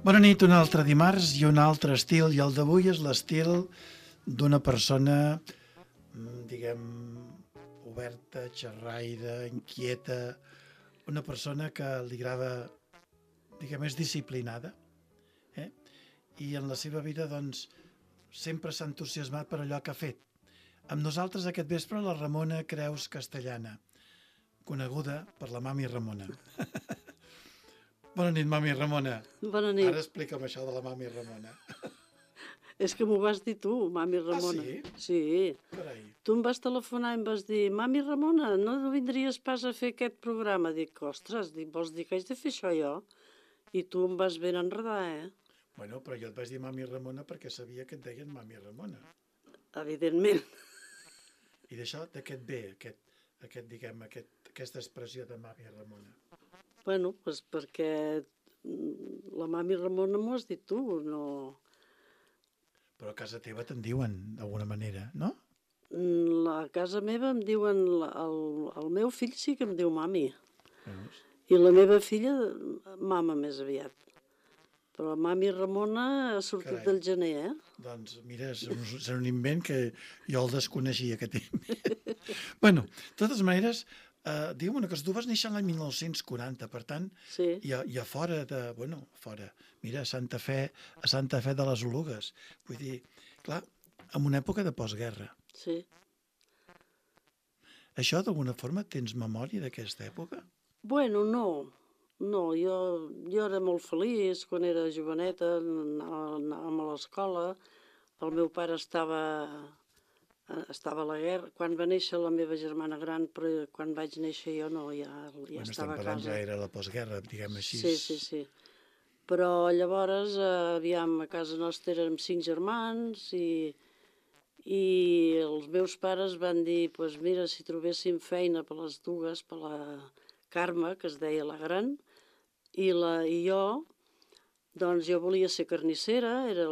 Bona nit, un altre dimarts i un altre estil, i el d'avui és l'estil d'una persona, diguem, oberta, xerraire, inquieta, una persona que li agrada, diguem, és disciplinada, eh? I en la seva vida, doncs, sempre s'ha entusiasmat per allò que ha fet. Amb nosaltres aquest vespre la Ramona Creus Castellana, coneguda per la Mami Ramona. Bona nit, Mami Ramona. Bona nit. Ara explica'm això de la Mami Ramona. És que m'ho vas dir tu, Mami Ramona. sí? Sí. Carai. Tu em vas telefonar i em vas dir, Mami Ramona, no vindries pas a fer aquest programa? Dic, ostres, vols dir que haig de fer això jo? I tu em vas ben enredar, Bueno, però jo et vaig dir Mami Ramona perquè sabia que et deien Mami Ramona. Evidentment. I d'això, de què et ve, aquesta expressió de Mami Ramona? Bueno, doncs perquè la Mami Ramona m'ho has dit tu, no... Però a casa teva te'n diuen, d'alguna manera, no? A casa meva em diuen, el meu fill sí que em diu Mami. Veus? I la meva filla, mama més aviat. Però Mami Ramona ha sortit Carai. del gener, Doncs mira, és un invent que jo el desconeixia, aquest invent. Bueno, de totes maneres, digue'm una cosa, tu vas néixer l'any 1940, per tant, sí. i a fora de... Bueno, fora, mira, a Santa Fe de les Olugues. Vull dir, clar, en una època de postguerra. Sí. Això, d'alguna forma, tens memòria d'aquesta època? Bueno, no. No, jo era molt feliç quan era joveneta, anàvem a l'escola. El meu pare estava a la guerra. Quan va néixer la meva germana gran, però quan vaig néixer jo no, ja Bueno, estava a casa. Ja era la postguerra, diguem així. Sí. Però llavors, aviam, a casa nostra érem 5 germans i els meus pares van dir, pues mira, si trobéssim feina per les dues, per la Carme, que es deia la gran, i jo, doncs jo volia ser carnissera, era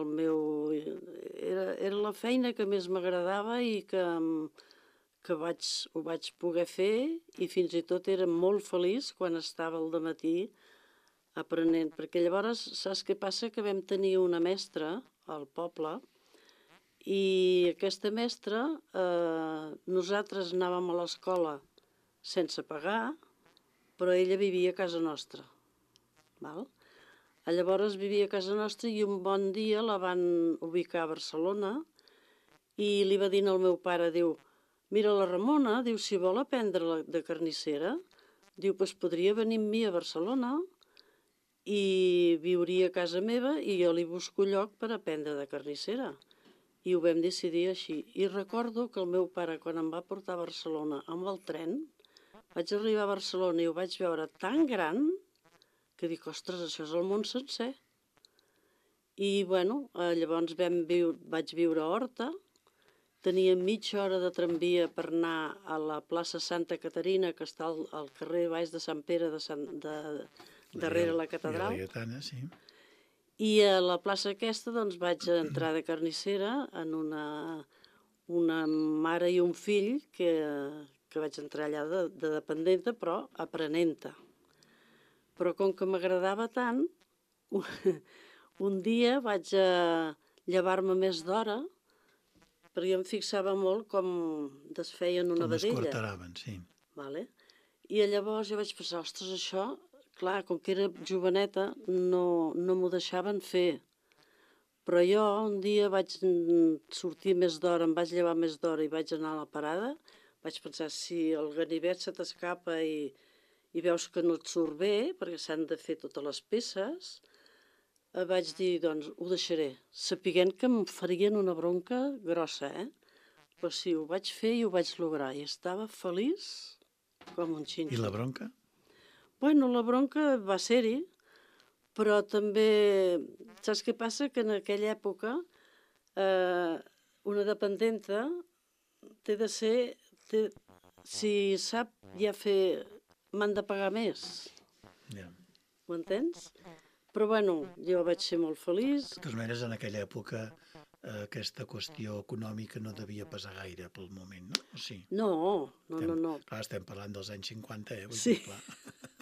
la feina que més m'agradava i que ho vaig poder fer, i fins i tot era molt feliç quan estava al dematí aprenent, perquè llavors saps què passa? Que vam tenir una mestra al poble i aquesta mestra, nosaltres anàvem a l'escola sense pagar, però ella vivia a casa nostra. Val? Llavors vivia a casa nostra i un bon dia la van ubicar a Barcelona i li va dir al meu pare, diu, mira la Ramona, diu, si vol aprendre de carnissera, diu, pues podria venir amb mi a Barcelona i viuria a casa meva i jo li busco lloc per aprendre de carnissera. I ho vam decidir així. I recordo que el meu pare, quan em va portar a Barcelona amb el tren, vaig arribar a Barcelona i ho vaig veure tan gran que dic, ostres, això és el món sencer. I, bueno, llavors vaig viure a Horta, tenia mitja hora de tramvia per anar a la plaça Santa Caterina, que està al carrer baix de Sant Pere, darrere la catedral. La Lletana, sí. I a la plaça aquesta doncs, vaig entrar de carnissera en una mare i un fill que vaig entrar allà de dependenta, però aprenenta. Però com que m'agradava tant, un dia vaig llevar-me més d'hora, perquè em fixava molt com desfeien una vedella. Com escorteraven, sí. Vale? I llavors jo vaig pensar, ostres, això, clar, com que era joveneta, no m'ho deixaven fer. Però jo un dia vaig sortir més d'hora, em vaig llevar més d'hora i vaig anar a la parada, vaig pensar, si el ganivet se t'escapa i veus que no et surt bé, perquè s'han de fer totes les peces, vaig dir, doncs, ho deixaré, sapiguent que em farien una bronca grossa, Però sí, ho vaig fer i ho vaig lograr, i estava feliç com un xinxo. I la bronca? Bueno, la bronca va ser-hi, però també, saps què passa? Que en aquella època una dependenta té de ser, si sap ja fer, m'han de pagar més. Ja. Ho entens? Però bueno, jo vaig ser molt feliç. De totes maneres, en aquella època aquesta qüestió econòmica no devia pesar gaire pel moment, no? O sí? No. Clar, estem parlant dels anys 50, Vull sí. dir, clar.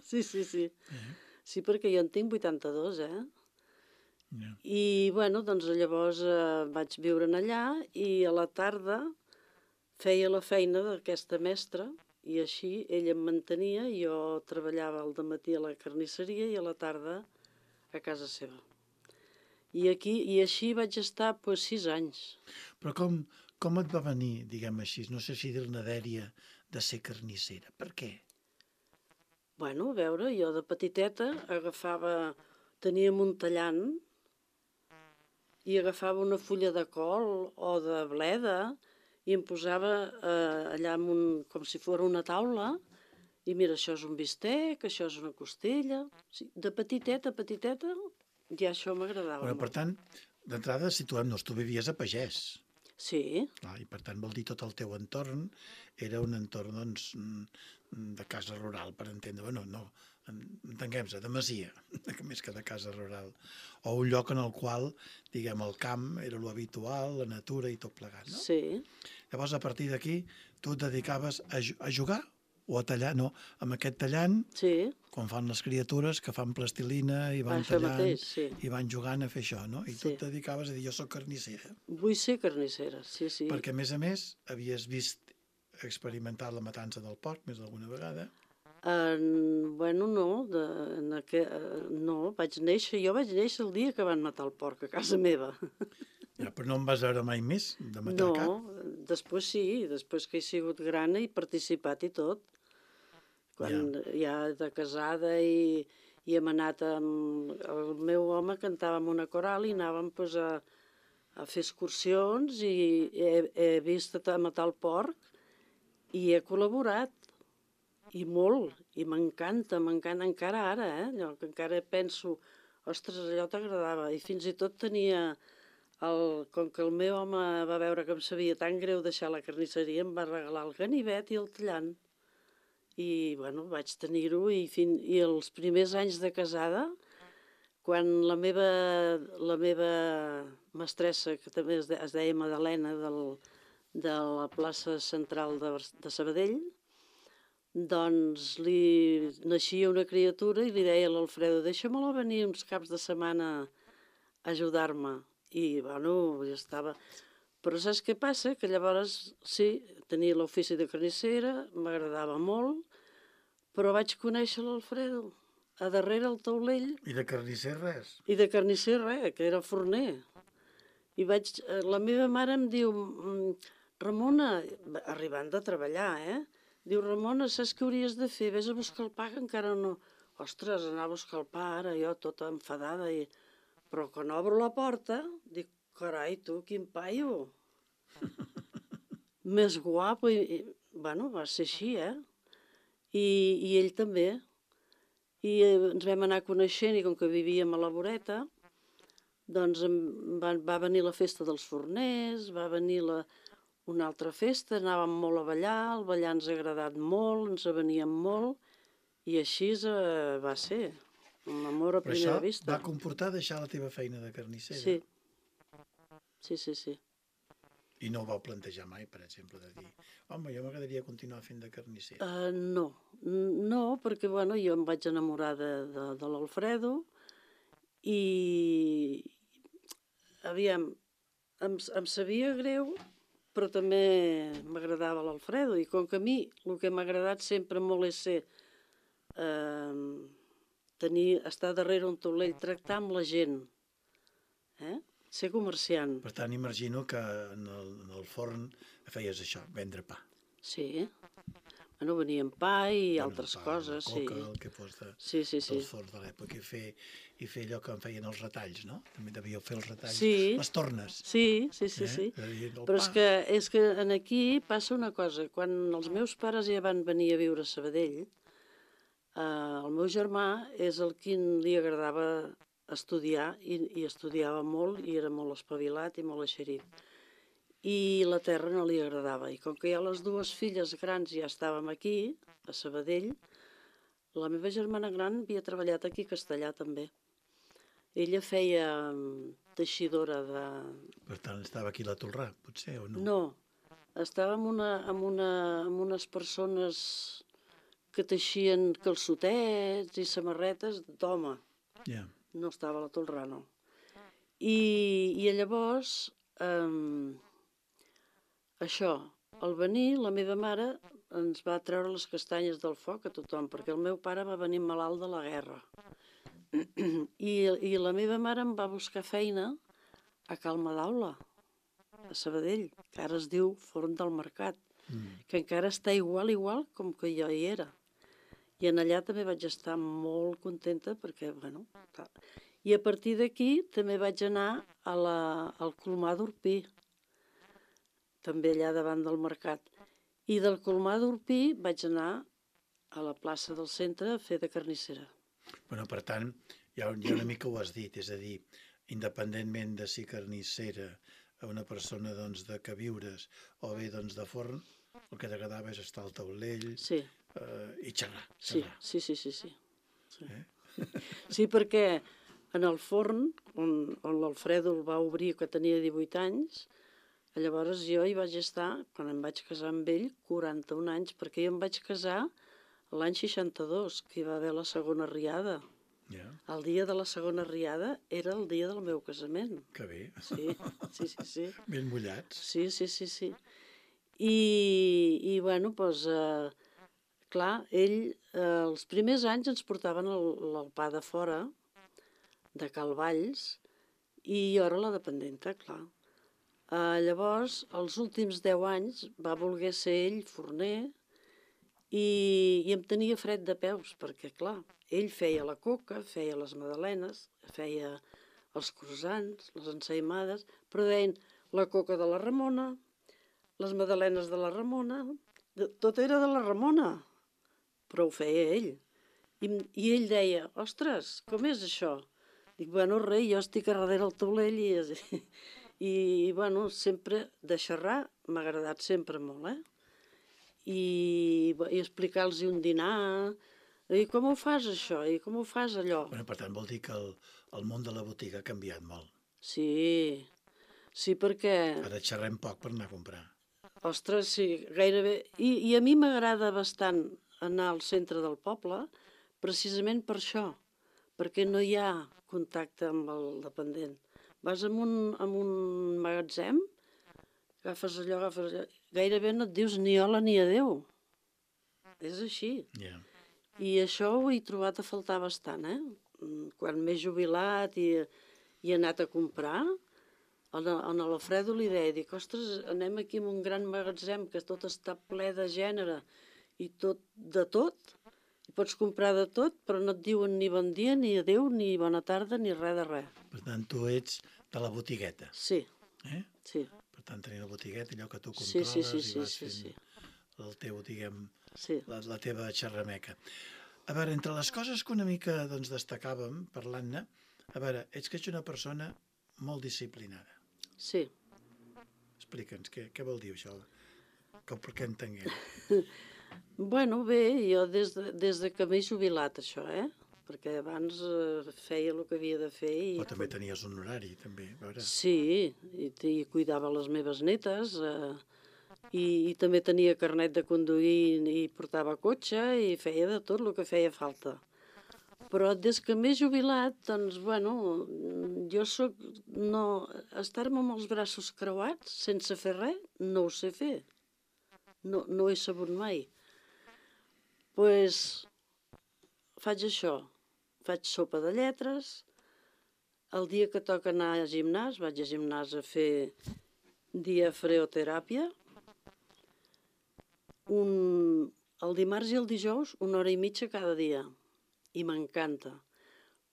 Sí. Sí, perquè jo en tinc 82, Ja. I, bueno, doncs llavors vaig viure allà i a la tarda feia la feina d'aquesta mestra i així ella em mantenia, jo treballava al dematí a la carnisseria i a la tarda a casa seva. I així vaig estar 6 anys. Però com et va venir, diguem així, no sé si dir-ne dèria, de ser carnissera? Per què? Bueno, a veure, jo de petiteta teníem un tallant i agafava una fulla de col o de bleda i em posava allà com si fos una taula i mira, això és un bistec, això és una costella. Sí, de petiteta, ja això m'agradava Bueno, per molt. tant, d'entrada, situem-nos, tu vivies a Pagès. Sí, Clar, i per tant vol dir tot el teu entorn era un entorn doncs, de casa rural, per entendre. Bueno, no, entenguem-se, de masia, més que de casa rural. O un lloc en el qual, diguem, el camp era lo habitual, la natura i tot plegat, no? sí, Llavors, a partir d'aquí, tu et dedicaves a jugar o a tallar? No, amb aquest tallant, sí, quan fan les criatures que fan plastilina i van això tallant mateix, sí, i van jugant a fer això, no? I tu sí. et dedicaves a dir, jo sóc carnissera. Vull ser carnissera, sí, sí. Perquè, a més, havies vist experimentar la matança del porc més d'alguna vegada. Bueno, no, no, jo vaig néixer el dia que van matar el porc a casa meva. Ja, però no em vas veure mai més de matar No, cap. després sí, després que he sigut gran he participat i tot. Quan ja de casada i hem anat amb... El meu home cantava en una coral i anàvem pues, a fer excursions i he vist matar el porc i he col·laborat. I molt, i m'encanta encara ara, allò que encara penso, ostres, allò t'agradava. I fins i tot tenia, com que el meu home va veure que em sabia tan greu deixar la carnisseria, em va regalar el ganivet i el tallant. I, bueno, vaig tenir-ho i els primers anys de casada, quan la meva mestressa, que també es deia Madalena, de la plaça central de Sabadell, doncs li naixia una criatura i li deia a l'Alfredo, deixa-me-la venir uns caps de setmana a ajudar-me. I, bueno, ja estava... Però saps què passa? Que llavors, sí, tenia l'ofici de carnissera, m'agradava molt, però vaig conèixer l'Alfredo a darrere el taulell. I de carnisser res. I de carnisser res, que era forner. La meva mare em diu, Ramona, arribant de treballar, diu, Ramona, saps què hauries de fer? Ves a buscar el pa, que encara no... Ostres, anar a buscar el pa ara, jo tota enfadada. Però quan obro la porta, dic, carai, tu, quin paio. Més guapo. Bueno, va ser així, I ell també. I ens vam anar coneixent i com que vivíem a la voreta, doncs va venir la festa dels forners, va venir una altra festa, anàvem molt a ballar, el ballar ens ha agradat molt, ens veníem molt, i així va ser, un amor a primera vista. Però això va comportar deixar la teva feina de carnissera? Sí, sí. I no ho vau plantejar mai, per exemple, de dir, home, jo m'agradaria continuar fent de carnisser. No, perquè bueno, jo em vaig enamorar de l'Alfredo i, aviam, em sabia greu, però també m'agradava l'Alfredo. I com que a mi el que m'ha agradat sempre molt és estar darrere un taulell, tractar amb la gent, ser comerciant. Per tant, imagino que en el forn feies això, vendre pa. Sí. Bueno, venien pa i altres coses, sí. Coca, el que fos dels forns de l'època, i fer allò que en feien els retalls, no? També devíeu fer els retalls, les tornes. Sí. Però és que aquí passa una cosa. Quan els meus pares ja van venir a viure a Sabadell, el meu germà és el qui li agradava estudiar i estudiava molt i era molt espavilat i molt eixerit. I la terra no li agradava. I com que ja les dues filles grans ja estàvem aquí, a Sabadell, la meva germana gran havia treballat aquí a Castellà també. Ella feia teixidora de... Per tant, estava aquí a la Tolrà, potser, o no? No, estava amb unes persones que teixien calçotets i samarretes d'home. Ja. No estava a la Tolrà, no. I llavors, això, al venir, la meva mare ens va treure les castanyes del foc a tothom, perquè el meu pare va venir malalt de la guerra. I la meva mare em va buscar feina a Cal Madaula, a Sabadell, que ara es diu Forn del Mercat, que encara està igual com que jo hi era. I en allà també vaig estar molt contenta perquè, bueno... I a partir d'aquí també vaig anar al Colomar d'Orpí, també allà davant del mercat. I del Colomar d'Orpí vaig anar a la plaça del centre a fer de carnissera. Bueno, per tant, ja una mica ho has dit, és a dir, independentment de si carnissera a una persona doncs, de queviures o bé doncs, de forn, el que t'agradava és estar al taulell i xerrar. Sí. Sí, perquè en el forn, on l'Alfredo el va obrir que tenia 18 anys, llavors jo hi vaig estar, quan em vaig casar amb ell, 41 anys, perquè jo em vaig casar l'any 62, que hi va haver la segona riada. Yeah. El dia de la segona riada era el dia del meu casament. Que bé. Sí. Ben mullats. Sí. I bueno, doncs, clar, ell, els primers anys ens portaven el pa de fora, de Cal Valls, i jo era la dependenta, clar. Llavors, els últims 10 anys va voler ser ell forner i em tenia fred de peus, perquè, clar, ell feia la coca, feia les magdalenes, feia els croissants, les ensaïmades, però deien la coca de la Ramona, les magdalenes de la Ramona, tot era de la Ramona, però ho feia ell. I ell deia, ostres, com és això? Dic, bueno, rei, jo estic a darrere el taulell i bueno, sempre de xerrar m'ha agradat sempre molt, I explicar-los un dinar, i com ho fas això, i com ho fas allò. Bueno, per tant, vol dir que el món de la botiga ha canviat molt. Sí, perquè... Ara xerrem poc per anar a comprar. Ostres, sí, gairebé... I a mi m'agrada bastant anar al centre del poble, precisament per això, perquè no hi ha contacte amb el dependent. Vas a un magatzem, agafes allò, gairebé no et dius ni hola ni adeu. És així. Yeah. I això ho he trobat a faltar bastant, Quan m'he jubilat i he anat a comprar, a l'Alfredo li deia, dic, ostres, anem aquí en un gran magatzem que tot està ple de gènere i tot de tot, i pots comprar de tot, però no et diuen ni bon dia, ni adeu, ni bona tarda, ni res de res. Per tant, tu ets de la botigueta. Sí. Sí. Per tant, tenir la botigueta, allò que tu controles i vas fent el teu, diguem, la teva xerrameca. A veure, entre les coses que una mica doncs, destacàvem parlant-ne, a veure, ets que ets una persona molt disciplinada. Sí. Explica'ns, què vol dir això? Perquè entenguem. Bueno, bé, jo des de que m'he jubilat, això, Perquè abans feia el que havia de fer. Però també tenies un horari, també, a veure. Sí, i cuidava les meves netes, i també tenia carnet de conduir i portava cotxe i feia de tot el que feia falta. Però des que m'he jubilat, doncs, bueno, jo soc... Estar-me amb els braços creuats sense fer res, no ho sé fer. No ho he sabut mai. Doncs faig això, faig sopa de lletres, el dia que toca anar a gimnàs, vaig a gimnàs a fer diafreoteràpia, el dimarts i el dijous 1 hora i mitja cada dia, i m'encanta.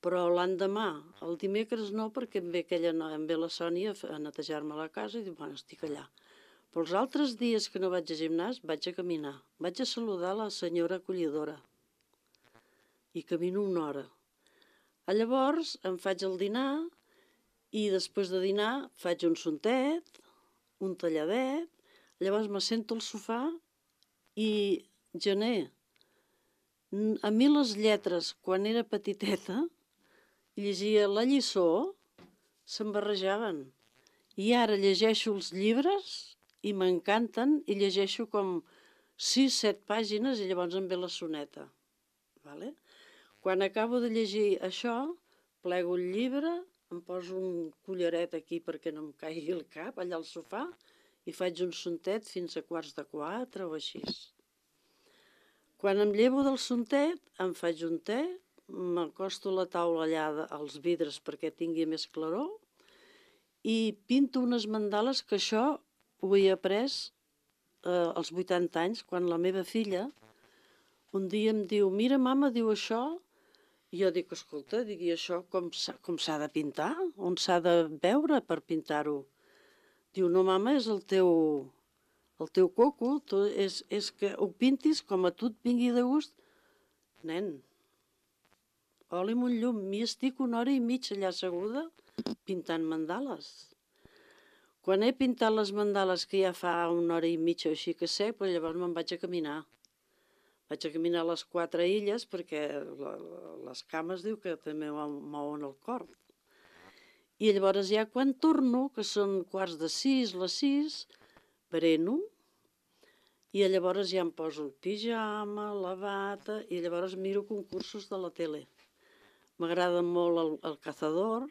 Però l'endemà, el dimecres no, perquè em ve la Sònia a netejar-me la casa i diu, bueno, estic allà. Però els altres dies que no vaig a gimnàs vaig a caminar, vaig a saludar la senyora acollidora i camino 1 hora. Llavors em faig el dinar i després de dinar faig un sontet, un talladet, llavors me sento al sofà i gener. A mi les lletres, quan era petiteta, llegia la lliçó, se'm barrejaven. I ara llegeixo els llibres i m'encanten i llegeixo com 6-7 pàgines i llavors em ve la soneta. Vale? Quan acabo de llegir això, plego el llibre, em poso un collaret aquí perquè no em caigui el cap, allà al sofà, i faig un sontet fins a 3:15 o així. Quan em llevo del sontet, em faig un te, m'acosto a la taula allà als vidres perquè tingui més claror i pinto unes mandales, que això ho he après als 80 anys, quan la meva filla un dia em diu, mira, mama, diu això. I jo dic, escolta, i això com s'ha de pintar? On s'ha de veure per pintar-ho? Diu, no, mama, és el teu coco, és que ho pintis com a tu et vingui de gust. Nen, oli amb un llum, m'hi estic 1h30 allà asseguda pintant mandales. Quan he pintat les mandales, que ja fa 1h30 o així que sé, però llavors me'n vaig a caminar. Vaig a caminar a les 4 illes perquè les cames diu que també mouen el cor. I llavors ja quan torno, que són 5:45, les 6, bereno, i llavors ja em poso el pijama, la bata, i llavors miro concursos de la tele. M'agrada molt el Cazador,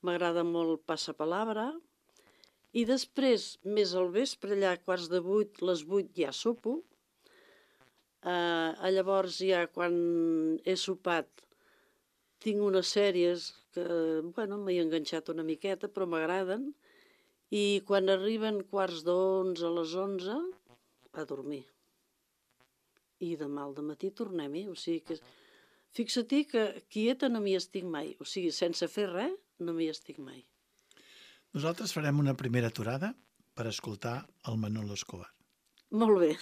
m'agrada molt el Passapalabra, i després, més al vespre, allà a 7:15, les 8 ja sopo. Llavors ja quan he sopat tinc unes sèries que, m'he enganxat una miqueta, però m'agraden, i quan arriben 11:15, a les 11, a dormir. I demà al dematí tornem-hi, o sigui que fixa-t'hi que quieta no m'hi estic mai, o sigui, sense fer res no m'hi estic mai. Nosaltres farem una primera aturada per escoltar el Manolo Escobar. Molt bé.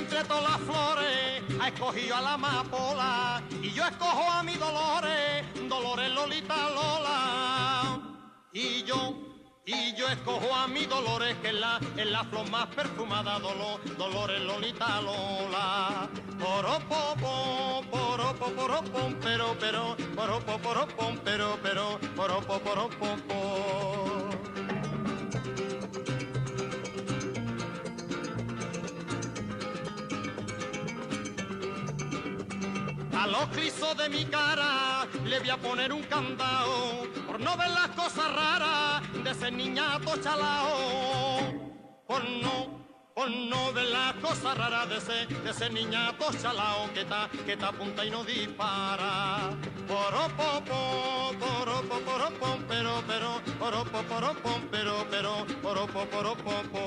Entre todas las flores ha escogido a la amapola y yo escojo a mi Dolores, Dolores Lolita Lola. Y yo escojo a mi Dolores, que es la flor más perfumada, Dolores Lolita Lola. Poropopo, poropo, poropom, pero, poropo, poropom, pero, poropo, poropopo. A los clisos de mi cara le voy a poner un candado por no ver las cosas raras de ese niñato chalao. Por no ver las cosas raras de ese niñato chalao que está apunta y no dispara. Poropopo, poropo, poropom, pero, poropo, poropom, pero, poropo, poropopo.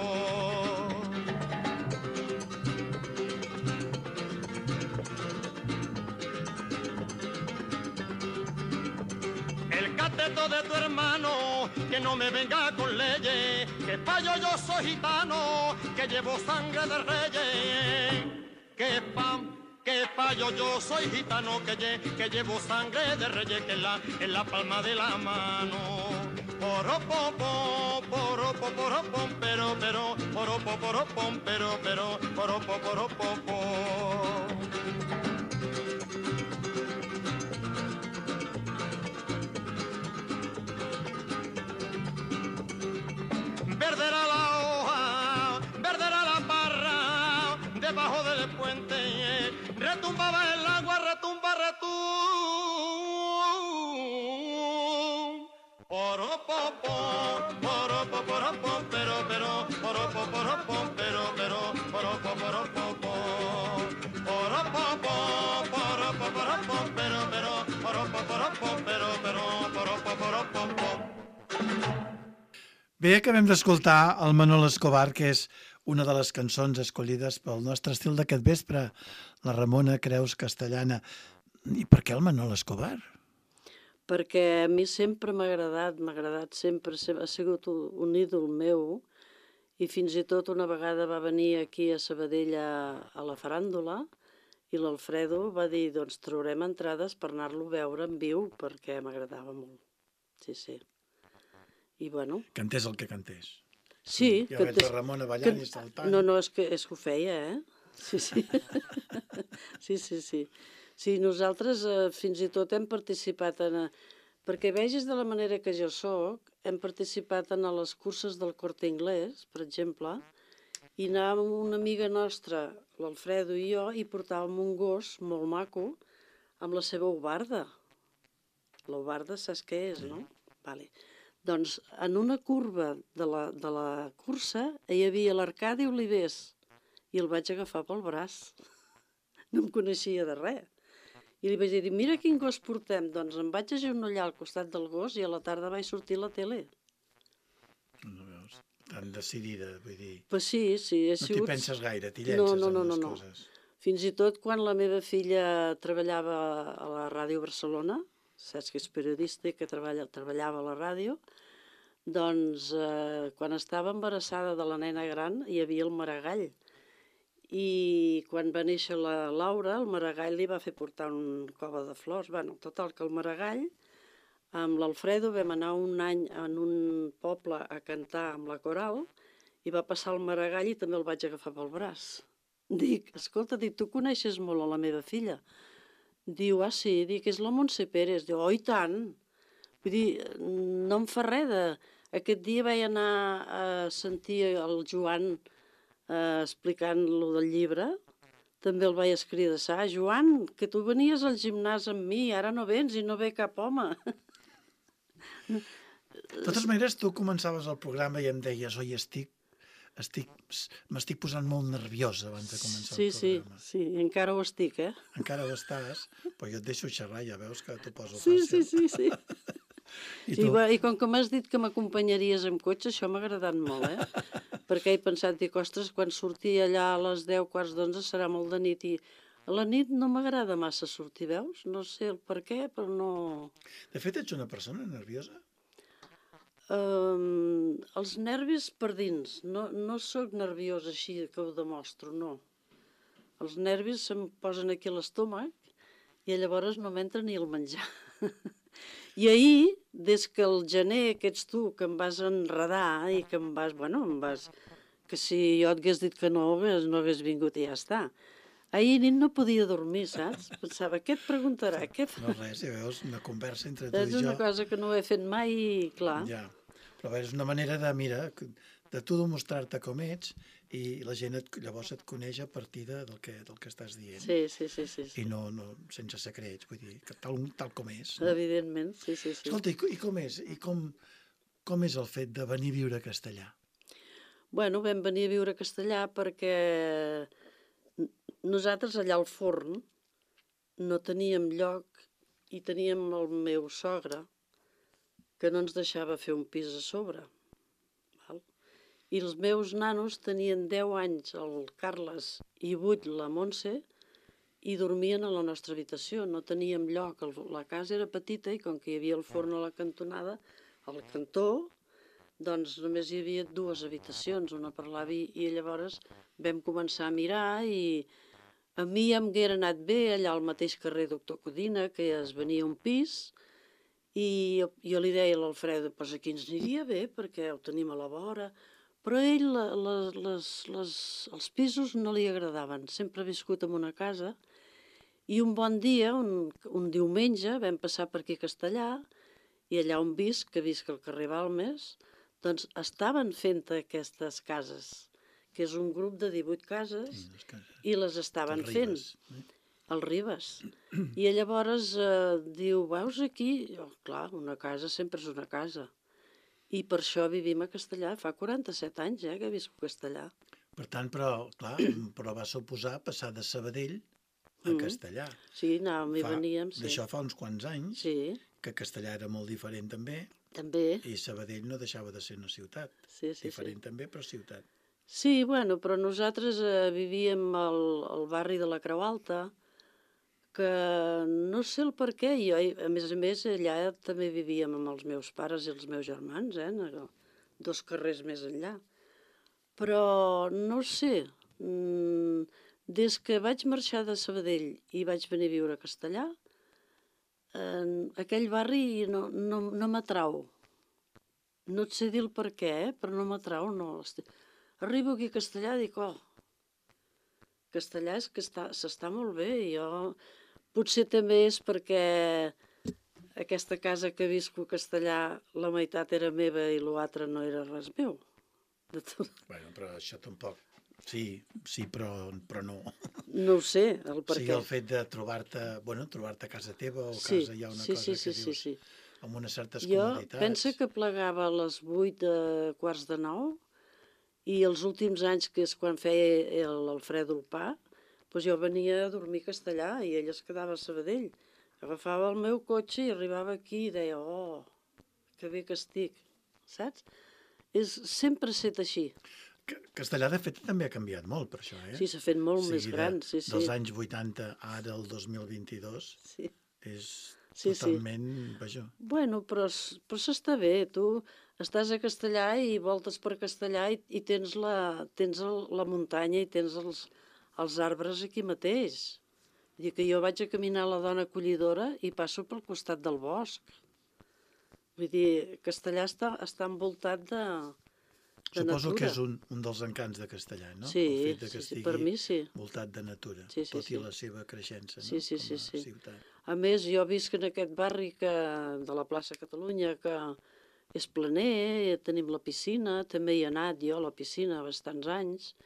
El cateto de tu hermano, que no me venga con leyes, que payo yo soy gitano, que llevo sangre de reyes. Que payo yo soy gitano, que llevo sangre de reyes, que en la palma de la mano. Poropopo, poropo, poropom, pero, poropo, poropom, pero, poropo, poropopo. Verde era la hoja, verde era la parra, debajo del puente, retumbaba el agua, retumba, poropopo, poropo, poropom, pero, poropo, poropom, pero, poropo, poropopo. Poropopo, poropo, poropom, pero, poropo, poropom, pero, poropo, poropopo. Bé, acabem d'escoltar el Manolo Escobar, que és una de les cançons escollides pel nostre estil d'aquest vespre, la Ramona Creus Castellana. I per què el Manolo Escobar? Perquè a mi sempre m'ha agradat sempre, ha sigut un ídol meu, i fins i tot una vegada va venir aquí a Sabadell a la faràndula i l'Alfredo va dir, doncs traurem entrades per anar-lo a veure en viu, perquè m'agradava molt. Sí, sí. I bueno... Cantés el que cantés. Sí. Ja veig la Ramona ballant i saltant. No, és que ho feia, Sí. Sí, nosaltres fins i tot hem participat perquè vegis de la manera que jo sóc, hem participat en les curses del Corte Inglés, per exemple, i anàvem amb una amiga nostra, l'Alfredo i jo, i portàvem un gos molt maco amb la seva ubarda. L'ubarda saps què és, no? Vale. Doncs en una curva de la cursa hi havia l'Arcadi Olivés i el vaig agafar pel braç. No em coneixia de res. I li vaig dir, mira quin gos portem. Doncs em vaig agenollar al costat del gos i a la tarda vaig sortir a la tele. No veus? Tan decidida, vull dir... Pues sí, he no sigut... t'hi penses gaire, t'hi llences en les coses. Fins i tot quan la meva filla treballava a la Ràdio Barcelona, saps que és periodista i que treballava a la ràdio, doncs quan estava embarassada de la nena gran hi havia el Maragall. I quan va néixer la Laura, el Maragall li va fer portar un cova de flors. Bueno, total, que el Maragall, amb l'Alfredo vam anar un any en un poble a cantar amb la coral i va passar el Maragall i també el vaig agafar pel braç. Dic, escolta, tu coneixes molt a la meva filla? Diu, sí, és la Montse Pérez. Diu, i tant. Vull dir, no em fa res de... Aquest dia vaig anar a sentir el Joan explicant-lo del llibre. També el vaig escridassar. Joan, que tu venies al gimnàs amb mi, ara no vens i no ve cap home. De totes maneres, tu començaves el programa i em deies, oi, m'estic posant molt nerviosa abans de començar el programa. Sí, encara ho estic, Encara ho estàs, però jo et deixo xerrar, ja veus que t'ho poso fàcil. Sí. I com que m'has dit que m'acompanyaries amb cotxe, això m'ha agradat molt, perquè he pensat, ostres, quan surti allà a les 10, quarts d'11 serà molt de nit, i a la nit no m'agrada massa sortir, veus? No sé el per què, però no... De fet, ets una persona nerviosa? Els nervis per dins, no sóc nerviosa així que ho demostro, no. Els nervis se'm posen aquí a l'estómac i llavors no m'entra ni el menjar. I ahir, des que el gener, que ets tu, que em vas enredar i que em vas... que si jo et hagués dit que no hagués vingut i ja està. Ahir nit no podia dormir, saps? Pensava, què et preguntarà? No res, ja veus, una conversa entre tu i jo. És una cosa que no he fet mai i clar. Ja, però és una manera de, mira, de tu demostrar-te com ets i la gent llavors et coneix a partir del que estàs dient. Sí. I no sense secrets, vull dir, que tal com és. No? Evidentment, sí. Escolta, i com és? I com és el fet de venir a viure a Castellà? Bueno, vam venir a viure a Castellà perquè nosaltres allà al forn no teníem lloc i teníem el meu sogre que no ens deixava fer un pis a sobre. Val? I els meus nanos tenien 10 anys, el Carles, i 8 la Montse, i dormien a la nostra habitació. No teníem lloc. La casa era petita i com que hi havia el forn a la cantonada, al cantó, doncs només hi havia 2 habitacions, una per l'avi, i llavors vam començar a mirar i a mi em haguera anat bé allà al mateix carrer Doctor Codina, que es venia un pis, i jo li deia a l'Alfredo, doncs aquí ens aniria bé perquè ho tenim a la vora, però a ell els pisos no li agradaven, sempre ha viscut en una casa, i un bon dia, un diumenge, vam passar per aquí a Castellà, i allà on visc al carrer Balmes, doncs estaven fent aquestes cases, que és un grup de 18 cases, i les estaven fent. El Ribes. I llavors diu, veus aquí? Clar, una casa sempre és una casa. I per això vivim a Castellà. Fa 47 anys que visc a Castellà. Per tant, però va suposar passar de Sabadell a Castellà. Sí, anàvem i veníem. D'això fa uns quants anys, que Castellà era molt diferent també. També. I Sabadell no deixava de ser una ciutat. Diferent també, però ciutat. Sí, bueno, però nosaltres vivíem al barri de la Creu Alta, que no sé el per què, i a més allà també vivíem amb els meus pares i els meus germans, 2 carrers més enllà. Però no sé, des que vaig marxar de Sabadell i vaig venir a viure a Castellà, aquell barri no m'atrau. no et sé dir el per què, però no m'atrau, no. Arribo aquí a Castellà i dic, Castellà és que s'està molt bé. Potser també és perquè aquesta casa que visco a Castellà, la meitat era meva i l'altre no era res meu. Bueno, però això tampoc... Sí, però no. No ho sé, el per què. O sigui, el fet de trobar-te a casa teva o a casa hi ha una cosa que dius amb unes certes comoditats. Jo penso que plegava a les 8 quarts de 9 i els últims anys, que és quan feia l'Alfredo el pa, doncs jo venia a dormir a Castellà i ell es quedava a Sabadell. Agafava el meu cotxe i arribava aquí i deia, que bé que estic, saps? Sempre ha estat així. Castellà, de fet, també ha canviat molt per això, eh? Sí, s'ha fet molt més gran, sí. Dels anys 80 ara al 2022 és totalment... Vaja. Bueno, però s'està bé. Tu estàs a Castellà i voltes per Castellà i tens la muntanya i tens els arbres aquí mateix. Vull dir que jo vaig a caminar a la Dona Collidora i passo pel costat del bosc. Vull dir, Castellà està envoltat de Suposo natura. que és un dels encants de Castellà, no? Sí, el fet que estigui per mi sí. Voltat de natura, tot i la seva creixença, no? Sí. Ciutat. A més, jo visc en aquest barri de la plaça Catalunya, que és planer, tenim la piscina, també hi he anat jo a la piscina bastants anys,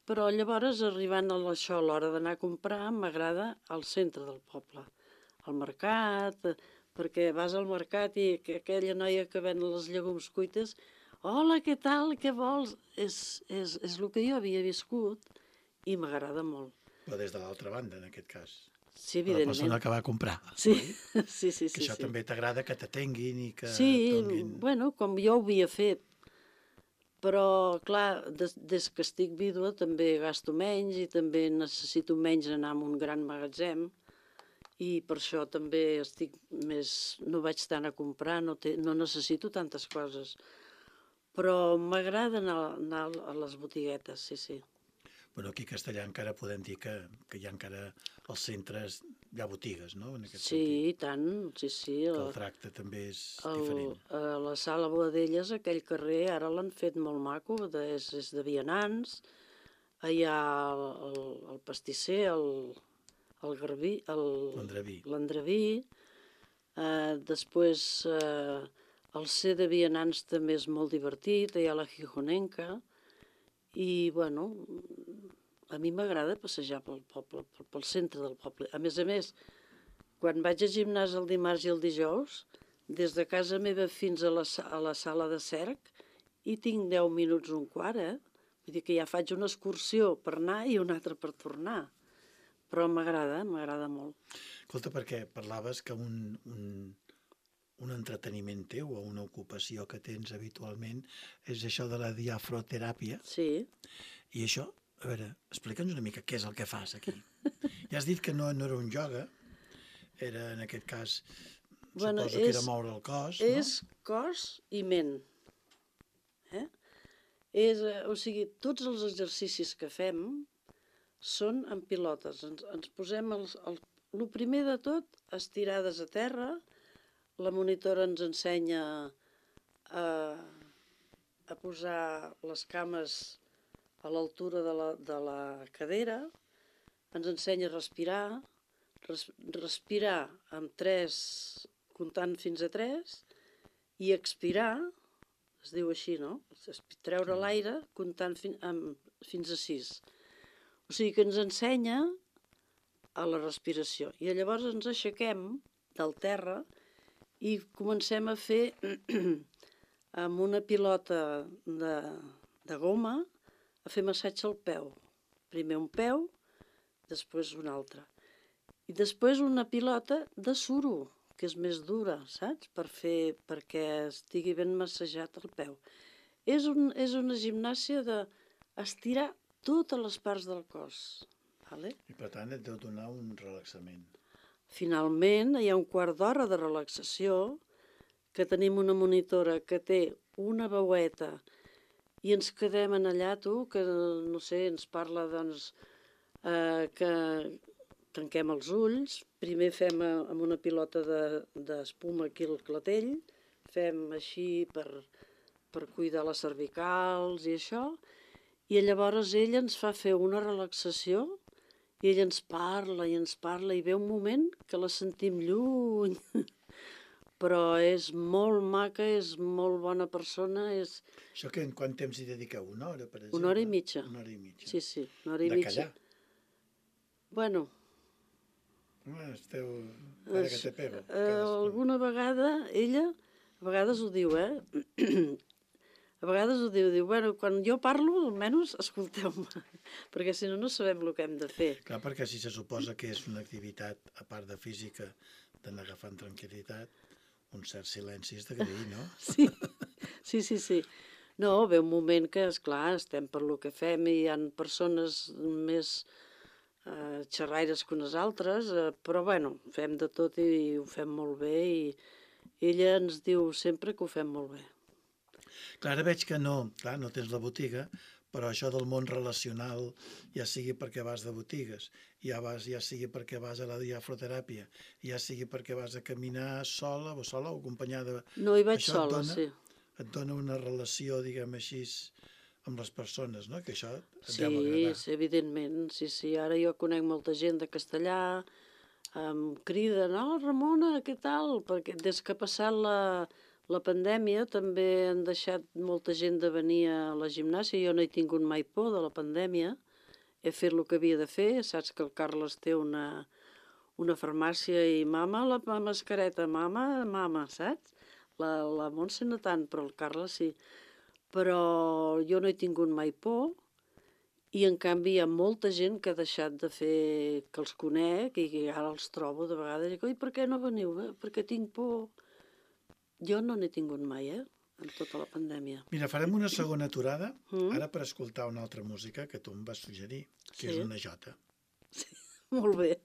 però llavors, arribant a l'hora d'anar a comprar, m'agrada al centre del poble, al mercat, perquè vas al mercat i aquella noia que ven les llegums cuites, hola, què tal, què vols? És el que jo havia viscut i m'agrada molt. Però des de l'altra banda, en aquest cas. Sí, evidentment. La persona que va comprar. Sí. Que això també t'agrada, que t'atenguin i que donin... bueno, com jo ho havia fet. Però, clar, des que estic vídua també gasto menys i també necessito menys anar a un gran magatzem i per això també no vaig tant a comprar, no necessito tantes coses. Però m'agrada anar a les botiguetes, sí. Bueno, aquí a Castellà encara podem dir que hi ha encara als centres, hi ha botigues, no? En aquest sentit. Sí, i tant, sí. Que el tracte també és diferent. A la Sala Boadelles, aquell carrer, ara l'han fet molt maco, és de vianants, hi ha el pastisser, l'Andreví, després el C de vianants també és molt divertit, hi ha la Gijonenca, i bueno, a mi m'agrada passejar pel poble, pel centre del poble. A més, quan vaig al gimnàs el dimarts i el dijous, des de casa meva fins a la sala de cerc, hi tinc 10 minuts, un quart, Vull dir que ja faig una excursió per anar i una altra per tornar. Però m'agrada molt. Escolta, perquè parlaves que un entreteniment teu o una ocupació que tens habitualment és això de la diafroteràpia. Sí. I això, a veure, explica'ns una mica què és el que fas aquí. Ja has dit que no era un ioga, era en aquest cas, suposo que era moure el cos, no? És cos i ment. O sigui, tots els exercicis que fem són en pilotes. Ens posem el primer de tot, estirades a terra. La monitora ens ensenya a posar les cames a l'altura de la cadera. Ens ensenya a respirar amb 3, comptant fins a 3, i expirar, es diu així, no? Treure l'aire comptant fins a 6. O sigui que ens ensenya a la respiració. I llavors ens aixequem del terra i comencem a fer amb una pilota de goma, a fer massatge al peu. Primer un peu, després un altre. I després una pilota de suro, que és més dura, saps? Perquè estigui ben massatjat el peu. És una gimnàsia d'estirar totes les parts del cos. Vale? I per tant et deu donar un relaxament. Finalment, hi ha un quart d'hora de relaxació, que tenim una monitora que té una veueta i ens quedem en allà, que no sé, ens parla doncs que tanquem els ulls, primer fem amb una pilota d'espuma aquí el clatell, fem així per cuidar les cervicals i això, i llavors ell ens fa fer una relaxació i ell ens parla i ve un moment que la sentim lluny, però és molt maca, és molt bona persona, és Això que en quant temps hi dediqueu? Una hora, per exemple? 1 hora i mitja. 1 hora i mitja. Sí, 1 hora i De mitja. callar. Bueno, Esteu... Ara que te pego. alguna vegada, ella, a vegades ho diu, a vegades ho diu, bueno, quan jo parlo, almenys escolteu-me, perquè si no, no sabem el que hem de fer. Clar, perquè si se suposa que és una activitat, a part de física, d'anar agafant tranquil·litat, un cert silenci és d'agrair, no? Sí. No, ve un moment que, esclar, estem per lo que fem i hi ha persones més xerraires que unes altres, però bueno, fem de tot i ho fem molt bé i ella ens diu sempre que ho fem molt bé. Clar, ara veig que no, clar, no tens la botiga, però això del món relacional, ja sigui perquè vas de botigues, ja sigui perquè vas a la diafroteràpia, ja sigui perquè vas a caminar sola o acompanyada... No, hi vaig Això sola, sí. Et dona una relació, diguem així, amb les persones, no? Que això et deu agradar. Sí, evidentment, sí. Ara jo conec molta gent de castellà, em criden, Ramona, què tal? Perquè des que ha passat la pandèmia també han deixat molta gent de venir a la gimnàsia. Jo no he tingut mai por de la pandèmia. He fet el que havia de fer. Saps que el Carles té una farmàcia i mama, la mascareta, mama, saps? La Montse no tant, però el Carles sí. Però jo no he tingut mai por i en canvi hi ha molta gent que ha deixat de fer, que els conec i ara els trobo de vegades i dic, oi, per què no veniu? Perquè tinc por. Jo no n'he tingut mai, en tota la pandèmia. Mira, farem una segona aturada, ara per escoltar una altra música que tu em vas suggerir, que és una jota. Sí, molt bé.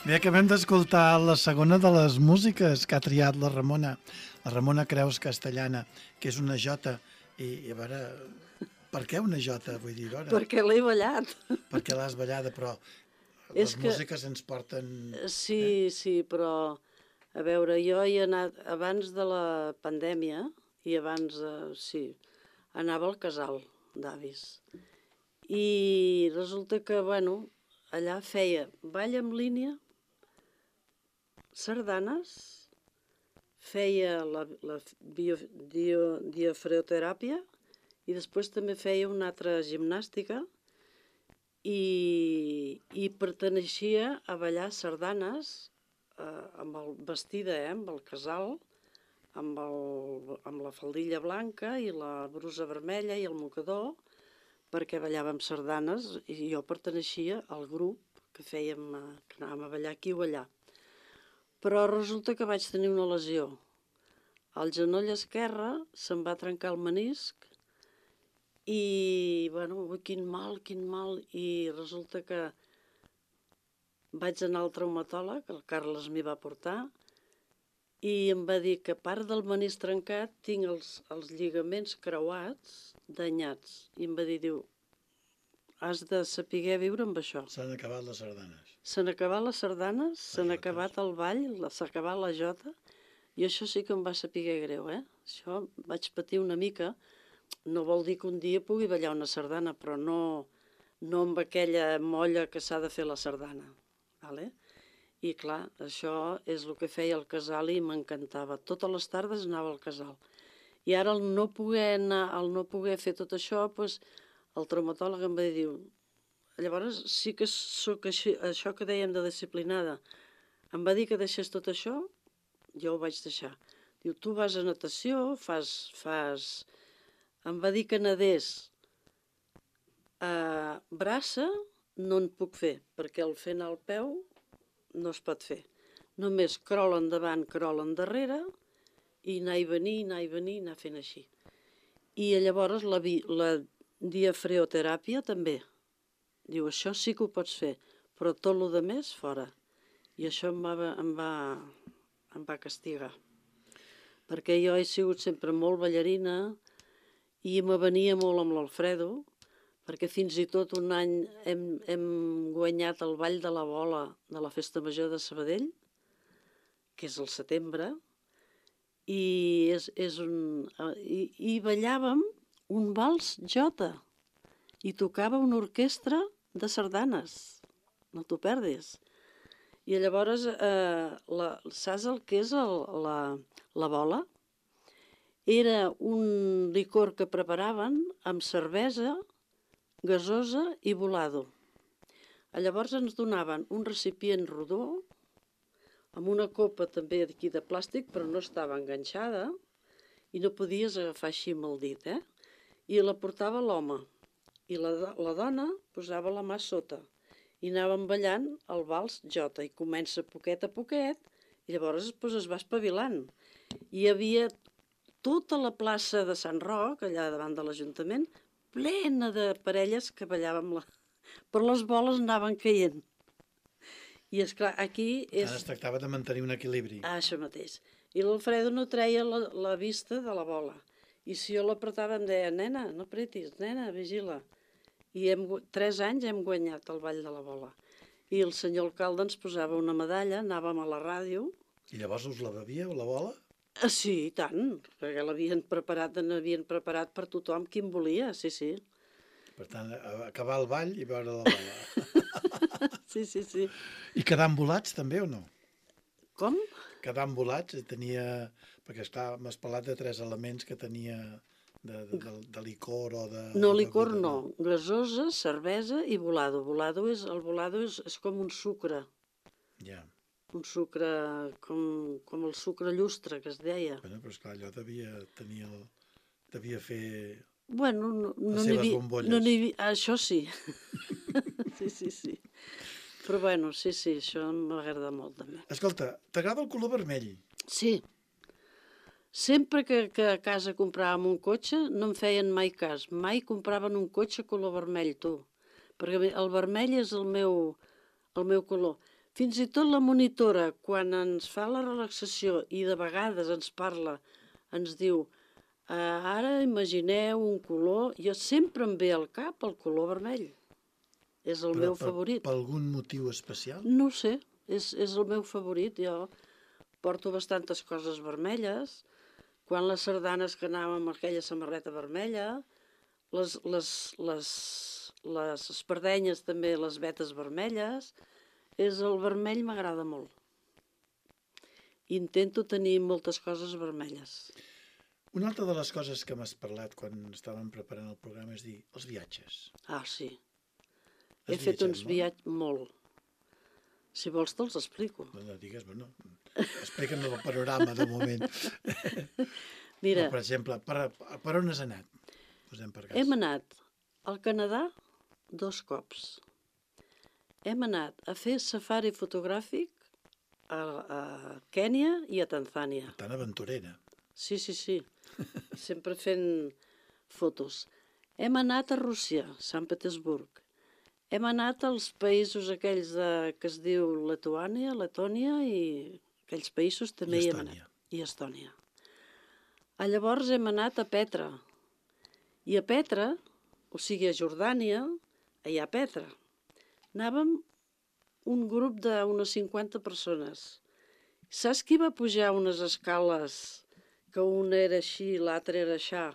Bé, acabem d'escoltar la segona de les músiques que ha triat la Ramona Creus Castellana, que és una jota. I a veure, per què una jota? Vull dir, ara, Perquè l'he ballat. perquè l'has ballada, però És les que- músiques ens porten... Sí, però a veure, jo hi he anat abans de la pandèmia i abans, anava al casal d'avis. I resulta que, bueno, allà feia ball en línia, sardanes, feia la diafreoteràpia i després també feia una altra gimnàstica i perteneixia a ballar sardanes amb el vestida, amb el casal, amb la faldilla blanca i la brusa vermella i el mocador, perquè ballàvem sardanes i jo perteneixia al grup que anàvem a ballar aquí o allà. Però resulta que vaig tenir una lesió. Al genoll esquerre se'm va trencar el menisc i, bueno, quin mal, i resulta que vaig anar al traumatòleg, el Carles m'hi va portar, i em va dir que a part del menisc trencat tinc els lligaments creuats, danyats. I em va dir, diu, has de saber viure amb això. S'han acabat les sardanes. S'han acabat les sardanes, s'han acabat el ball, s'ha acabat la jota, i això sí que em va saber greu, Això vaig patir una mica. No vol dir que un dia pugui ballar una sardana, però no amb aquella molla que s'ha de fer la sardana. Vale? I clar, això és el que feia el casal i m'encantava. Totes les tardes anava al casal. I ara, al no poder fer tot això, doncs, el traumatòleg em va dir, llavors sí que sóc així, això que dèiem de disciplinada. Em va dir que deixés tot això, jo ho vaig deixar. Diu, tu vas a natació, em va dir que nadés a braça, no en puc fer, perquè el fer anar al peu no es pot fer. Només crol endavant, crol endarrere, i anar i venir, anar fent així. I llavors la diafreoteràpia també. Diu, això sí que ho pots fer, però tot el que més fora. I això em va castigar. Perquè jo he sigut sempre molt ballarina i me venia molt amb l'Alfredo, perquè fins i tot un any hem guanyat el Ball de la Bola de la Festa Major de Sabadell, que és al setembre, i ballàvem un vals jota i tocava una orquestra de sardanes, no t'ho perdis. I llavors, saps el que és la bola? Era un licor que preparaven amb cervesa, gasosa i volado. Llavors ens donaven un recipient rodó, amb una copa també d'aquí de plàstic, però no estava enganxada, i no podies agafar així amb el dit, I la portava l'home, i la dona posava la mà sota, i anàvem ballant el vals jota, i comença poquet a poquet, i llavors es va espavilant. Hi havia tota la plaça de Sant Roc, allà davant de l'Ajuntament, plena de parelles que ballàvem, però les boles anaven caient. I esclar, aquí és... Ara es tractava de mantenir un equilibri. Això mateix. I l'Alfredo no treia la vista de la bola. I si jo l'apretava em deia, nena, no apretis, nena, vigila. I 3 anys hem guanyat el Ball de la Bola. I el senyor alcalde ens posava una medalla, anàvem a la ràdio. I llavors us la bevia, la bola? Sí, i tant, perquè n'havien preparat per tothom qui en volia, sí. Per tant, acabar el ball i veure la bola. Sí. I quedar embolats també o no? Com? Quedar embolats, perquè m'has parlat de 3 elements que tenia de licor o de... No, licor no, gasosa, cervesa i volado. El volado és com un sucre. Ja. Un sucre com el sucre llustre, que es deia. Bueno, però esclar, allò devia fer... Bueno, les seves bombolles. Això sí. Sí. Però bueno, sí, això m'agrada molt també. Escolta, t'agrada el color vermell? Sí. Sempre que a casa compràvem un cotxe no em feien mai cas. Mai compraven un cotxe color vermell, tu. Perquè el vermell és el meu color. Fins i tot la monitora, quan ens fa la relaxació i de vegades ens parla, ens diu, ara imagineu un color, jo sempre em ve al cap el color vermell. És el meu favorit. Per algun motiu especial? No ho sé, és el meu favorit. Jo porto bastantes coses vermelles. Quan les sardanes que anàvem amb aquella samarreta vermella, les espardenyes també, les vetes vermelles, el vermell m'agrada molt. Intento tenir moltes coses vermelles. Una altra de les coses que m'has parlat quan estàvem preparant el programa és dir els viatges. Ah, sí. Has He fet viatjat uns molt? viatges molt. Si vols te'ls explico. No digues, bueno, explica'm el panorama de moment. Mira, Per exemple, per on has anat? Posem per cas. hem anat al Canadà 2 cops. Hem anat a fer safari fotogràfic a Kènia i a Tanzània. Tan aventurera. Sí, sí, sí. Sempre fent fotos. Hem anat a Rússia, Sant Petersburg. Hem anat als països aquells que es diu Letònia i aquells països també hi hem Estònia. anat. I Estònia. Llavors hem anat a Petra. I a Petra, o sigui a Jordània, allà a Petra, anàvem un grup d'unes 50 persones. Saps qui va pujar unes escales que un era així, l'altre era aixà,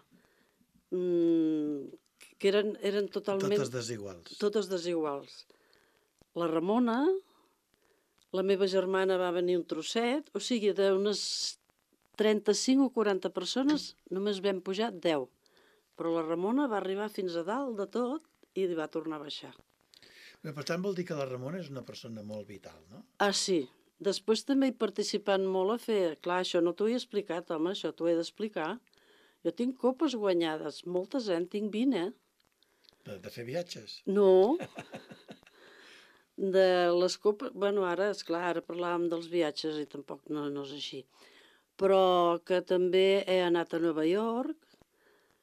que eren totalment... Totes desiguals. Totes desiguals. La Ramona, la meva germana va venir un trosset, o sigui, d'unes 35 o 40 persones només vam pujar 10. Però la Ramona va arribar fins a dalt de tot i va tornar a baixar. Bé, per tant, vol dir que la Ramona és una persona molt vital, no? Ah, sí. Després també he participat molt a fer... Clar, això no t'ho he explicat, home, això t'ho he d'explicar. Jo tinc copes guanyades, moltes, en tinc 20, De fer viatges. No. De les copes... Bueno, ara, esclar, ara parlàvem dels viatges i tampoc no és així. Però que també he anat a Nova York,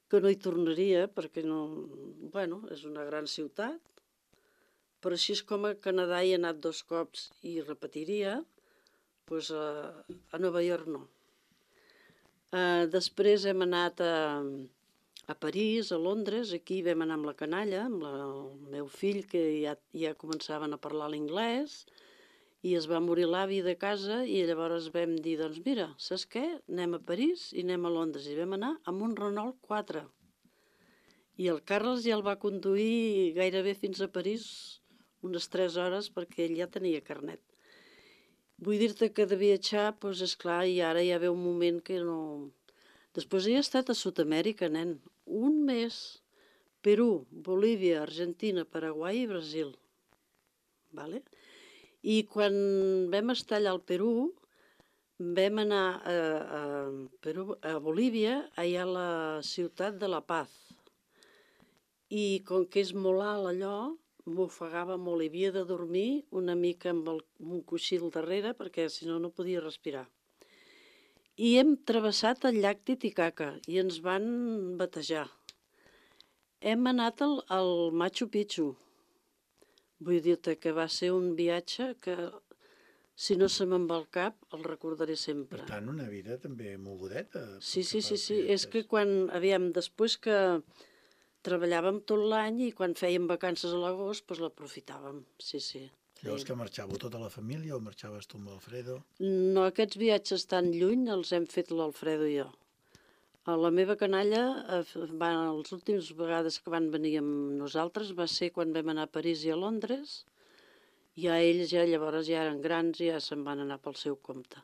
que no hi tornaria perquè no... Bueno, és una gran ciutat, però així és com a Canadà hi he anat 2 cops i repetiria, doncs a Nova York no. Després hem anat a París, a Londres, aquí vam anar amb la canalla, amb el meu fill, que ja començaven a parlar l'anglès, i es va morir l'avi de casa i llavors vam dir, doncs mira, saps què? Anem a París i anem a Londres. I vam anar amb un Renault 4. I el Carles ja el va conduir gairebé fins a París unes 3 hores perquè ell ja tenia carnet. Vull dir-te que de viatjar, doncs esclar, i ara ja ve un moment que no... Després he estat a Sud-amèrica, nen. Un mes. Perú, Bolívia, Argentina, Paraguai i Brasil. Vale? I quan vam estar allà al Perú, vam anar a Bolívia, allà a la ciutat de La Paz. I com que és molt alt allò, m'ofegava molt. I havia de dormir una mica amb un coixí al darrere perquè si no, no podia respirar. I hem travessat el llac Titicaca i ens van batejar. Hem anat al Machu Picchu. Vull dir-te que va ser un viatge que, si no se me'n va al cap, el recordaré sempre. Per tant, una vida també mogudeta. Sí. És que després que treballàvem tot l'any i quan fèiem vacances a l'agost, doncs l'aprofitàvem, sí. Llavors que marxàveu tota la família o marxaves tu amb l'Alfredo? No, aquests viatges tan lluny els hem fet l'Alfredo i jo. A la meva canalla, les últimes vegades que van venir amb nosaltres va ser quan vam anar a París i a Londres. Ja ells llavors ja eren grans i ja se'n van anar pel seu compte.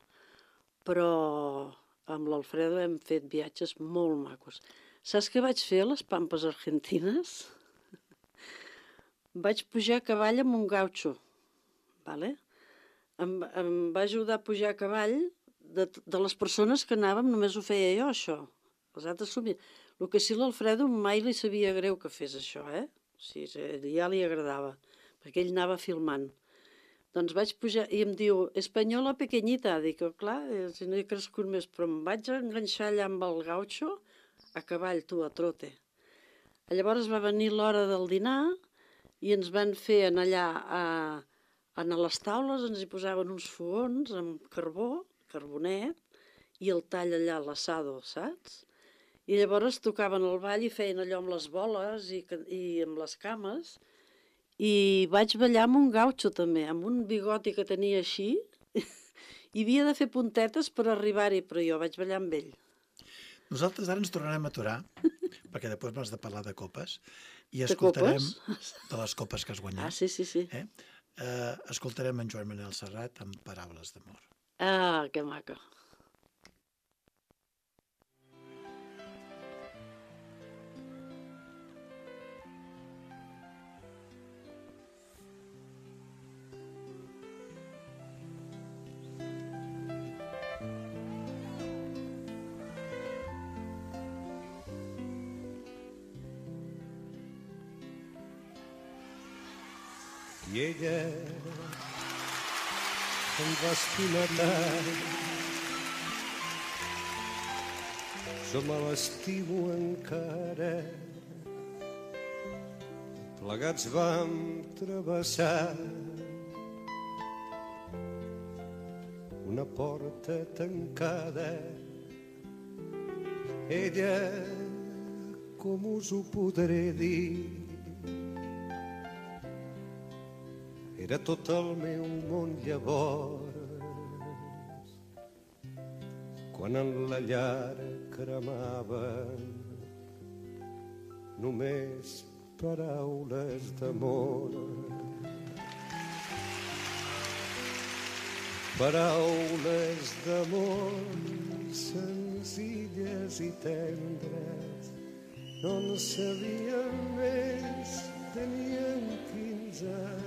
Però amb l'Alfredo hem fet viatges molt macos. Saps què vaig fer a les Pampes Argentines? Vaig pujar a cavall amb un gaucho. Vale? Em va ajudar a pujar a cavall de les persones que anàvem, només ho feia jo, això. Els altres somien. El que sí, l'Alfredo mai li sabia greu que fes això, O sigui, ja li agradava, perquè ell anava filmant. Doncs vaig pujar i em diu, espanyola pequeñita. Dic, clar, si no he crescut més, però em vaig enganxar allà amb el gaucho, a cavall, tu, a trote. Llavors va venir l'hora del dinar i ens van fer anar allà a les taules, ens hi posaven uns fogons amb carbó, carbonet, i el tall allà, l'assado, saps? I llavors tocaven el ball i feien allò amb les boles i amb les cames. I vaig ballar amb un gaucho també, amb un bigoti que tenia així. I havia de fer puntetes per arribar-hi, però jo vaig ballar amb ell. Nosaltres ara ens tornarem a aturar, perquè després m'has de parlar de copes, i De escoltarem copes? de les copes que has guanyat. Ah, sí. Escoltarem en Joan Manel Serrat amb Paraules d'amor. Ah, que maco. i ella em va estimar tant. Jo me l'estimo encara. Plegats vam travessar una porta tancada. Ella, com us ho podré dir, era tot el meu món llavors, quan en la llar cremaven només paraules d'amor. Paraules d'amor senzilles i tendres, no en sabien més, tenien 15 anys.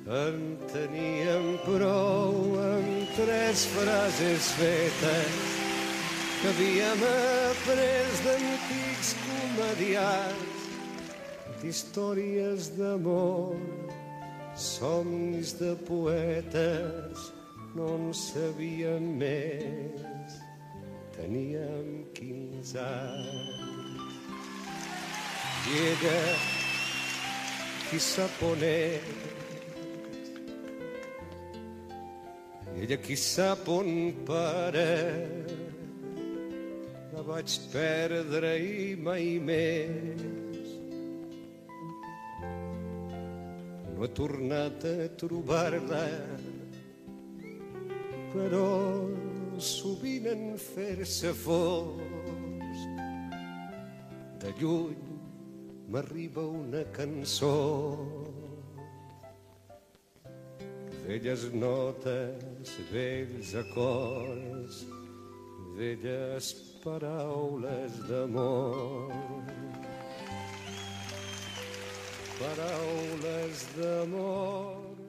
En teníem prou amb 3 frases fetes que havíem après d'antics comediants, d'històries d'amor, somnis de poetes, no en sabíem més, teníem 15 anys. I ella, qui sap on és, ella qui sap on para, la vaig perdre i mai més no he tornat a trobar-la, però sovint en fer-se fosc de lluny m'arriba una cançó, velles notes, vells acords, velles paraules d'amor. Paraules d'amor.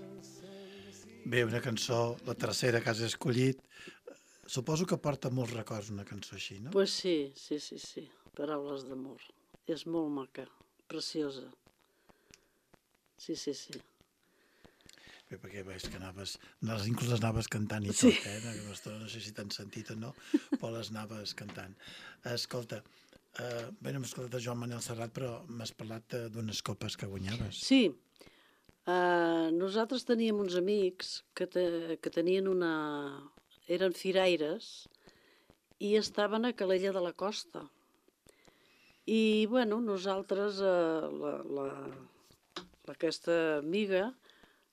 Bé, una cançó, la tercera que has escollit, suposo que porta molts records una cançó així, no? Pues sí, sí, sí, sí. Paraules d'amor. És molt maca, preciosa. Sí, sí, sí. Bé, perquè veus que inclús les anaves cantant i Sí. tot, no sé si t'han sentit o no, però les anaves cantant. Escolta, bé, no hem escoltat de Joan Manel Serrat, però m'has parlat d'unes copes que guanyaves. Sí, nosaltres teníem uns amics que tenien eren firaires i estaven a Calella de la Costa. I, bueno, nosaltres, aquesta amiga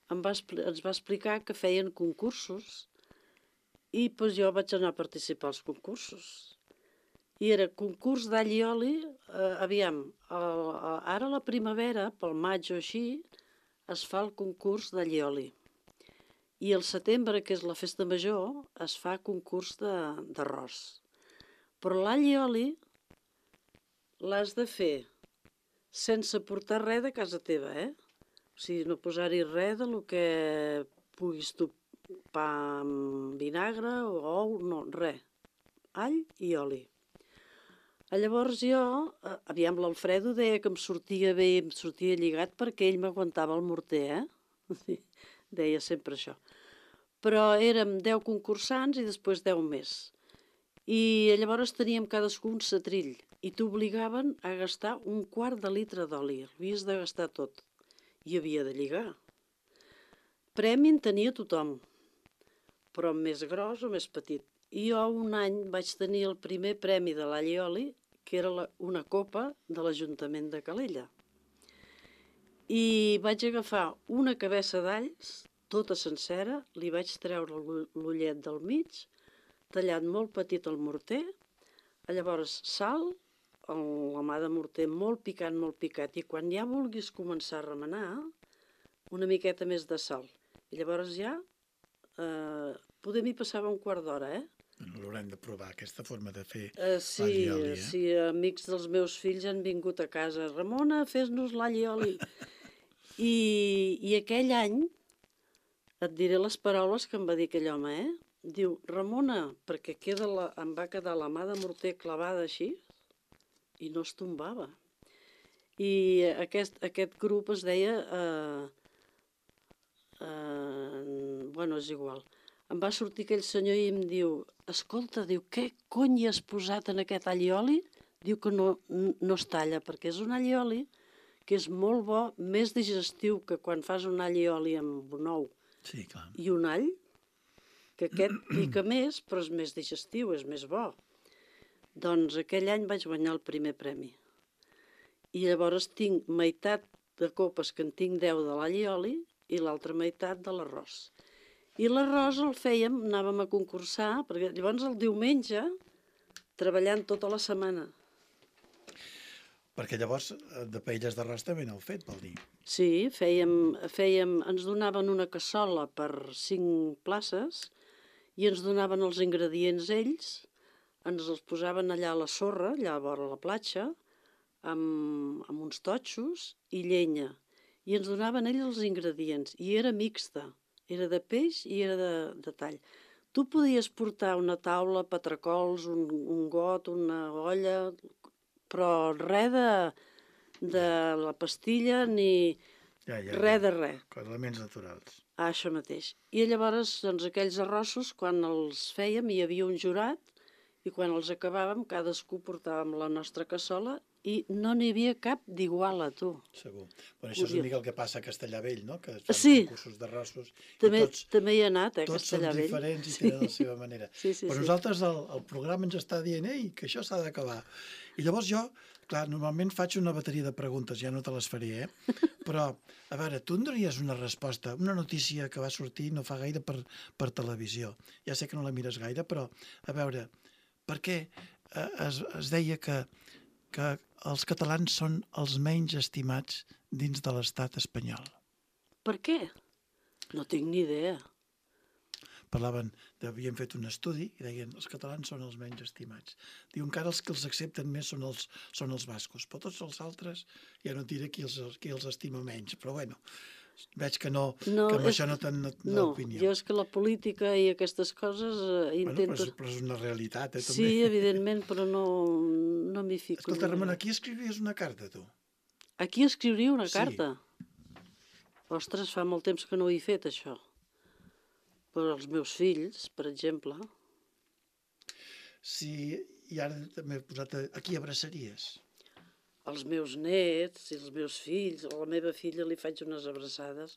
ens va explicar que feien concursos i doncs, jo vaig anar a participar als concursos. I era concurs d'all i oli, aviam, ara a la primavera, pel maig o així, es fa el concurs d'all i oli. I al setembre, que és la festa major, es fa concurs d'arròs. Però l'all i oli l'has de fer sense portar res de casa teva, O sigui, no posar-hi res del que puguis tu, pa amb vinagre o ou, no, res. All i oli. Llavors jo, aviam, l'Alfredo deia que em sortia bé, em sortia lligat perquè ell m'aguantava el morter, Deia sempre això. Però érem 10 concursants i després 10 més. I llavors teníem cadascú un setrill i t'obligaven a gastar 1/4 de litre d'oli. Havies de gastar tot. I havia de lligar. Premi en tenia tothom, però més gros o més petit. I jo un any vaig tenir el primer premi de l'all i oli, que era una copa de l'Ajuntament de Calella. I vaig agafar una cabeça d'alls, tota sencera, li vaig treure l'ullet del mig, tallat molt petit al morter, llavors sal, la mà de morter molt picat, i quan ja vulguis començar a remenar, una miqueta més de sal. I llavors ja, poder m'hi passava 1/4 d'hora, L'haurem de provar, aquesta forma de fer Sí, l'all i oli, sí, amics dels meus fills han vingut a casa. Ramona, fes-nos l'all i oli. I aquell any Et diré les paraules que em va dir aquell home, Diu, Ramona, perquè em va quedar la mà de morter clavada així i no es tombava. I aquest grup es deia... bueno, és igual. Em va sortir aquell senyor i em diu, escolta, diu, què cony hi has posat en aquest all i oli? Diu que no es talla, perquè és un all i oli que és molt bo, més digestiu que quan fas un all i oli amb un ou i un all, que aquest pica més, però és més digestiu, és més bo. Doncs aquell any vaig guanyar el primer premi. I llavors tinc meitat de copes que en tinc 10 de l'all i oli i l'altra meitat de l'arròs. I l'arròs el fèiem, anàvem a concursar, perquè llavors el diumenge, treballant tota la setmana. Perquè llavors de paelles d'arròs també n'heu fet, vol dir? Sí, ens donaven una cassola per 5 places i ens donaven els ingredients ells, ens els posaven allà a la sorra, allà a vora la platja, amb uns totxos i llenya. I ens donaven ells els ingredients. I era mixta, era de peix i era de tall. Tu podies portar una taula, patracols, un got, una olla, però res de la pastilla ni res de res. Elements naturals. Això mateix. I llavors, doncs, aquells arrossos, quan els fèiem, hi havia un jurat i quan els acabàvem, cadascú portàvem la nostra cassola i no n'hi havia cap d'igual a tu. Segur. Bueno, això és una mica el que passa a Castellavell, no? Que fan concursos d'arrossos. També hi ha anat, a Tots Castellavell. són diferents i tenen la seva manera. Però nosaltres el programa ens està dient que això s'ha d'acabar. I llavors jo, clar, normalment faig una bateria de preguntes, ja no te les faré, però, a veure, tu em donaries una resposta, una notícia que va sortir no fa gaire per televisió. Ja sé que no la mires gaire, però, a veure, per què es deia que els catalans són els menys estimats dins de l'estat espanyol? Per què? No tinc ni idea. Havien fet un estudi i deien els catalans són els menys estimats. Diu, encara els que els accepten més són els bascos, però tots els altres ja no et diré qui els estima menys, però bueno, veig que amb això no tenen opinió. Jo és que la política i aquestes coses intento... Però és una realitat, també. Sí, evidentment, però no m'hi fico. Escolta, Ramona, aquí escriviries una carta, tu? Aquí escriuria una carta? Ostres, fa molt temps que no ho he fet, això. Per als meus fills, per exemple. Sí, i ara també he posat a qui abraçaries? Els meus nets i els meus fills, a la meva filla li faig unes abraçades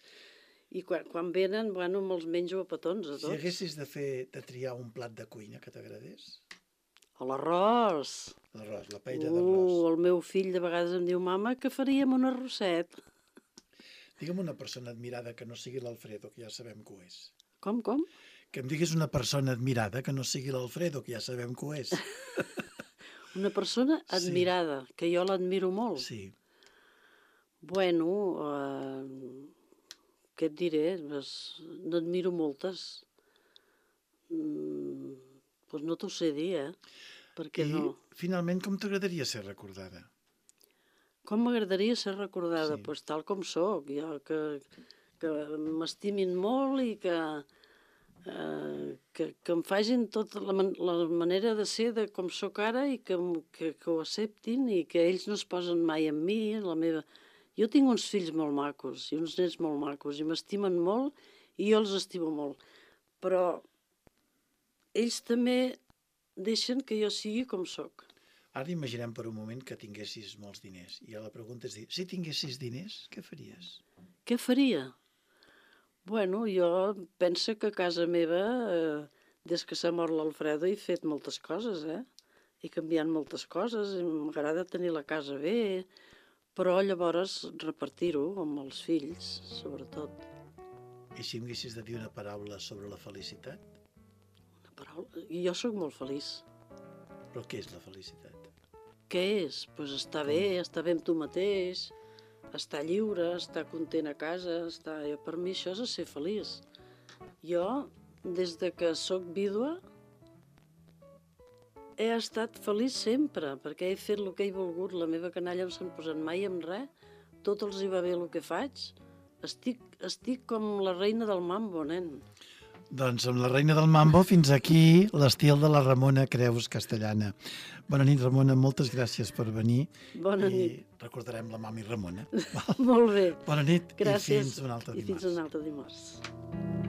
i quan venen, bueno, me'ls menjo a petons a tots. Si haguessis de triar un plat de cuina que t'agradés? L'arròs. L'arròs, la paella d'arròs. El meu fill de vegades em diu, mama, que faríem un arrosset. Digue'm una persona admirada que no sigui l'Alfredo, que ja sabem que ho és. Com? Que em diguis una persona admirada que no sigui l'Alfredo, que ja sabem que ho és. Una persona admirada, que jo l'admiro molt. Sí. Bueno, què et diré? N'admiro moltes. Doncs no t'ho sé dir, Perquè I finalment, com t'agradaria ser recordada? Com m'agradaria ser recordada? Doncs tal com sóc. Jo, que m'estimin molt i que em facin tota la manera de ser de com sóc ara i que ho acceptin i que ells no es posen mai en mi, Jo tinc uns fills molt macos i uns nets molt macos i m'estimen molt i jo els estimo molt. Però ells també deixen que jo sigui com sóc. Ara imaginem per un moment que tinguessis molts diners. I la pregunta és dir, si tinguessis diners, què faries? Què faria? Bueno, jo penso que a casa meva, des que s'ha mort l'Alfredo, he fet moltes coses, He canviat moltes coses, m'agrada tenir la casa bé, però llavors repartir-ho amb els fills, sobretot. I si em haguessis de dir una paraula sobre la felicitat? Una paraula? Jo sóc molt feliç. Però què és la felicitat? Què és? Doncs estar bé amb tu mateix, estar lliure, estar content a casa, per mi això és ser feliç. Jo, des de que sóc vídua, he estat feliç sempre, perquè he fet el que he volgut. La meva canalla no s'han posat mai en res, tot els hi va bé el que faig, estic com la reina del mambo, nen. Doncs amb la reina del mambo, fins aquí l'estil de la Ramona Creus Castellana. Bona nit, Ramona, moltes gràcies per venir. Bona nit. I recordarem la mami Ramona. Molt bé. Bona nit. Gràcies. I fins un altre I fins dimarts. un altre dimarts.